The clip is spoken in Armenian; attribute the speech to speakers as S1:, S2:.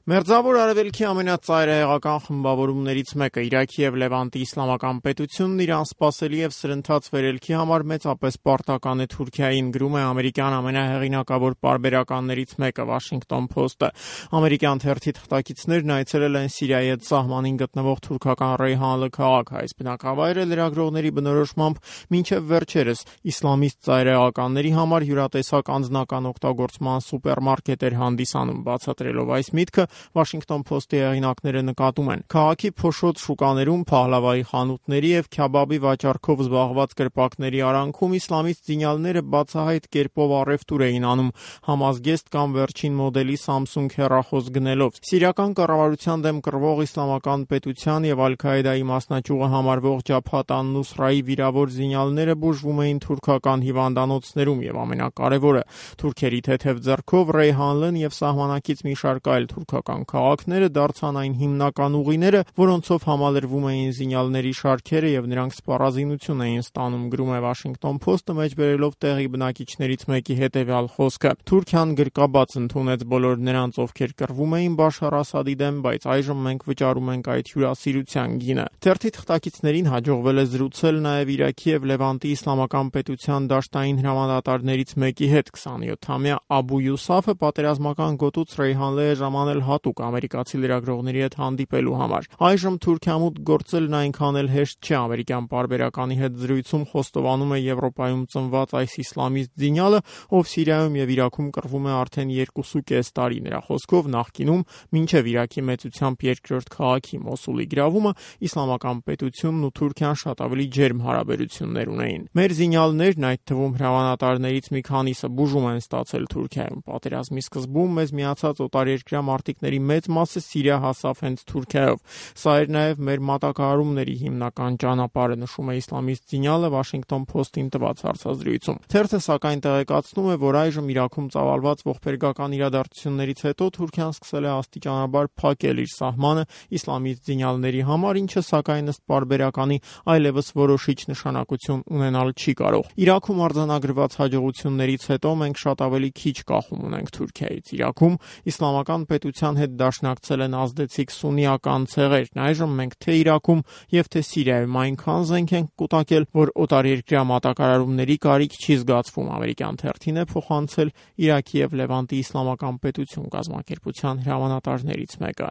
S1: Մերձավոր Արևելքի ամենածայրահեղական խմբավորումներից մեկը Իրաքի և Լևանտի իսլամական պետությունն իր անսպասելի և սրընթաց վերելքի համար մեծապես պարտական է Թուրքիային, գրում է ամերիկյան ամենահեղինակավոր պարբերականներից մեկը Washington Post-ը։ Ամերիկյան թերթի թղթակիցներն այցելել են Սիրիայի հետ սահմանին գտնվող թուրքական Ռեյհանլը քաղաք։ Այս բնակավայրը լրագրողների բնորոշմամբ մինչև վերջերս իսլամիստ ծայրահեղականների համար յուրատեսակ անձնական օգտագործման սուպերմարկետ էր հանդիսանում։ Բացատրելով այս միտքը, Washington Post-ի հեղինակները նկատում են. քաղաքի փոշոտ շուկաներում, փահլավայի խանութների և քյաբաբի վաճառքով զբաղված կրպակների արանքում իսլամիստ զինյալները բացահայտ կերպով առևտուր էին անում, համազգեստ կամ վերջին մոդելի Samsung հեռախոս գնելով։ Սիրիական կառավարության դեմ կռվող իսլամական պետության և Ալ-Քաիդայի մասնաճյուղը համարվող Ջաբհաթ ան-Նուսրայի վիրավոր զինյալները բուժվում էին թուրքական հիվանդանոցներում և ամենակարևորը, թուրքերի թեթև ձեռքով Ռեյհանլն և սահմանակից մի շարք այլ թուրքական քաղաքները դարձան այն հիմնական ուղիները, որոնցով համալրվում էին զինյալների շարքերը և նրանք սպառազինություն էին ստանում, գրում է Washington Post-ը, մեջբերելով տեղի բնակիչներից մեկի հետևյալ խոսքը. Թուրքիան գրկաբաց ընդունեց բոլոր նրանց, ովքեր կռվում էին Բաշար Ասադի դեմ, բայց այժմ մենք վճարում ենք այդ հյուրասիրության գինը։ Թերթի թղթակիցներին հաջողվել է զրուցել նաև Իրաքի և Լևանտի իսլամական պետության դաշտային հրամանատարներից մեկի հետ։ 27-ամյա Աբու Յուսաֆը պատերազմական գոտուց Ռեյհանլե է ժամանել հատուկ ամերիկացի լրագրողների հետ հանդիպելու համար։ Այժմ Թուրքիամուտ գործելն այնքան էլ հեշտ չէ։ Ամերիկյան պարբերականի հետ զրույցում խոստովանում է Եվրոպայում ծնված այս իսլամիստ զինյալը, ով Սիրիայում և Իրաքում կռվում է արդեն 2.5 տարի։ Նրա խոսքով նախկինում, մինչև Իրաքի մեծությամբ երկրորդ քաղաքի Մոսուլի գրավումը, իսլամական պետությունն ու Թուրքիան շատ ավելի ջերմ հարաբերություններ ունեին։ Մեր զինյալներն, այդ թվում հրամանատարներից մի քանիսը, բուժում են ստացել Թուրքիայում։ Պատերազմի սկզբում մեզ միացած օտարերկրյա մարտիկների մեծ մասը Սիրիա հասավ հենց Թուրքիայով։ Սա էր նաև մեր մատակարարումների հիմնական ճանապարհը, նշում է իսլամիստ զինյալը Washington Post-ին տված հարցազրույցում։ Թերթը սակայն տեղեկացնում է, որ այժմ Իրաքում ծավալված ողբերգական իրադարձություններից հետո Թուրքիան սկսել է աստիճանաբար փակել իր սահմանը իսլամիստ զինյալների համար, ինչը սակայն ըստ պարբերականի այլևս որոշիչ նշանակություն ունենալ չի կարող։ Իրաքում արձանագրված հաջողություններից հետո մենք շատ ավելի քիչ կախում ունենք Թուրքիայից։ Իրաքում իսլամական պետության հետ դաշնակցել են ազդեցիկ սուննիական ցեղերն։ Այժմ մենք թե Իրաքում և թե Սիրիայում այնքան զենք ենք կուտակել, որ օտարերկրյա մատակարարումների կարիք չի զգացվում, ամերիկյան թերթին է փոխանցել Իրաքի և Լևանտի իսլամական պետություն կազմակերպության հրամանատարներից մեկը։